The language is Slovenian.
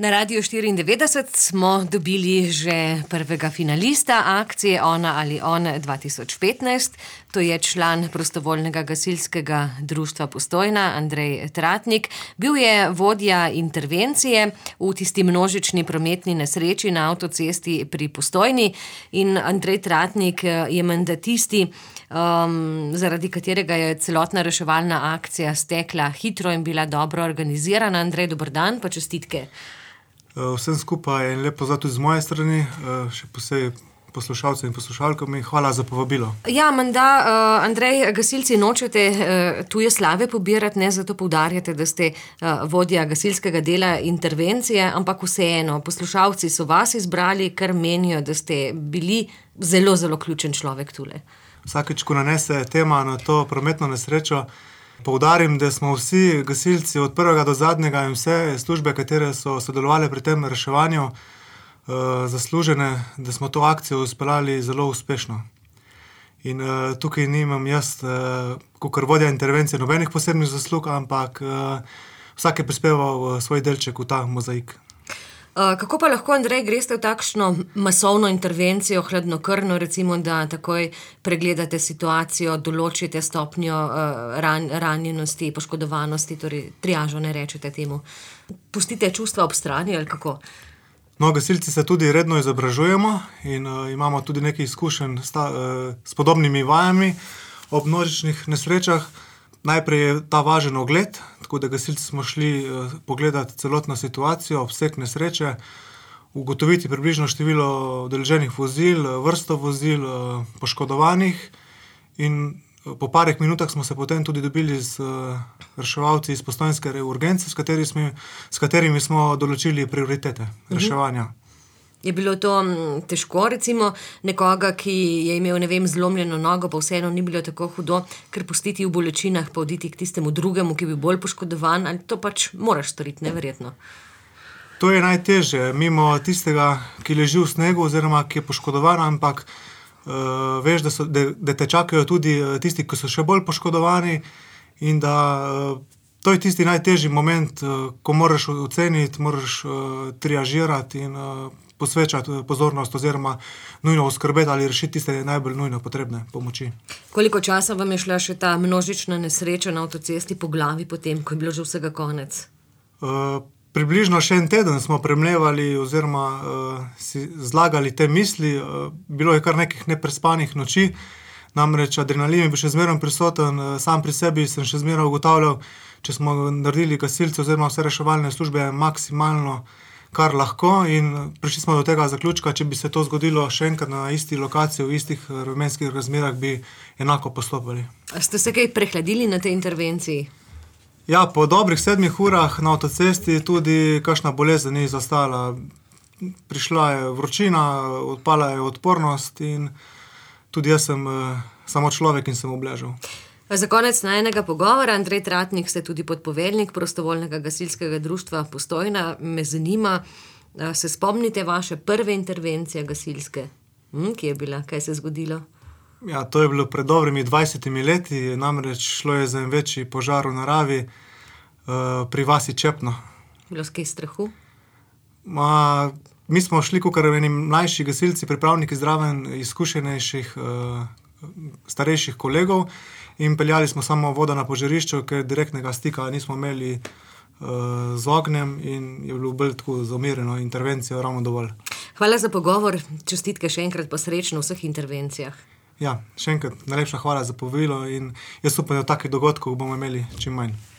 Na Radiu 94 smo dobili že prvega finalista akcije Ona ali on 2015. To je član prostovoljnega gasilskega društva Postojna, Andrej Tratnik. Bil je vodja intervencije v tisti množični prometni nesreči na avtocesti pri Postojni in Andrej Tratnik je menda tisti, zaradi katerega je celotna reševalna akcija stekla hitro in bila dobro organizirana. Andrej, dober dan, pa čestitke. Vsem skupaj in lep pozdrav tudi z moje strani, še posebej poslušalcem in poslušalkam in hvala za povabilo. Ja, menda, Andrej, gasilci nočete tuje slave pobirati, ne zato poudarjate, da ste vodja gasilskega dela intervencije, ampak vseeno, poslušalci so vas izbrali, ker menijo, da ste bili zelo, zelo ključen človek tule. Vsakeč, ko nanese tema na to prometno nesrečo, poudarim, da smo vsi gasilci od prvega do zadnjega in vse službe, katere so sodelovali pri tem reševanju, zaslužene, da smo to akcijo uspeljali zelo uspešno. In tukaj nimam jaz, kakor vodja intervencije, nobenih posebnih zaslug, ampak vsak je prispeval svoj delček v ta mozaik. Kako pa lahko, Andrej, greste v takšno masovno intervencijo, hladnokrvno, recimo, da takoj pregledate situacijo, določite stopnjo ranjenosti, poškodovanosti, torej triažo, ne rečete temu. Pustite čustva ob strani ali kako? No, gasilci se tudi redno izobražujemo in imamo tudi nekaj izkušenj s podobnimi vajami ob množičnih nesrečah. Najprej je ta važen ogled, tako da gasilci smo šli pogledati celotno situacijo, obseg nesreče, ugotoviti približno število udeleženih vozil, vrsto vozil, poškodovanih in po parih minutah smo se potem tudi dobili z reševalci iz postojnske urgence, s katerimi smo določili prioritete reševanja. Je bilo to težko, recimo, nekoga, ki je imel, ne vem, zlomljeno nogo, pa vseeno ni bilo tako hudo, ker pustiti v bolečinah, pa oditi k tistemu drugemu, ki bi bil bolj poškodovan, ali to pač moraš storiti, neverjetno? To je najtežje, mimo tistega, ki leži v snegu oziroma ki je poškodovan, ampak veš, da te čakajo tudi tisti, ki so še bolj poškodovani in da to je tisti najtežji moment, ko moraš oceniti, moraš triažirati in posvečati pozornost oziroma nujno oskrbeti ali rešiti tiste najbolj nujno potrebne pomoči. Koliko časa vam je šla še ta množična nesreča na avtocesti po glavi potem, ko je bilo že vsega konec? Približno še en teden smo premlevali oziroma si zlagali te misli. Bilo je kar nekih neprespanih noči, namreč adrenalin je bil še zmeraj prisoten, sam pri sebi sem še zmeraj ugotavljal, če smo naredili gasilci oziroma vse reševalne službe maksimalno, kar lahko, in prišli smo do tega zaključka, če bi se to zgodilo še enkrat na isti lokaciji, v istih vremenskih razmerah, bi enako postopali. Ste se kaj prehladili na tej intervenciji? Ja, po dobrih 7 urah na avtocesti tudi kakšna bolezen ni zastala. Prišla je vročina, odpala je odpornost in tudi jaz sem samo človek in sem obležal. Za konec najinega pogovora, Andrej Tratnik, ste tudi podpoveljnik prostovoljnega gasilskega društva Postojna. Me zanima, se spomnite vaše prve intervencije gasilske? Kje je bila? Kaj se je zgodilo? Ja, to je bilo pred dobrimi 20 leti, namreč šlo je za en večji požar v naravi pri vasi Čepno. Bilo s kaj strahu? Mi smo šli kakor eni mlajši gasilci, pripravniki zraven izkušenejših, starejših kolegov in peljali smo samo vodo na požarišču, ker direktnega stika nismo imeli z ognjem in je bilo bolj tako za umirjeno intervencijo ravno dovolj. Hvala za pogovor, čestitke še enkrat pa srečno v vseh intervencijah. Ja, še enkrat najlepša hvala za povabilo in jaz upam, da takih dogodkov bomo imeli čim manj.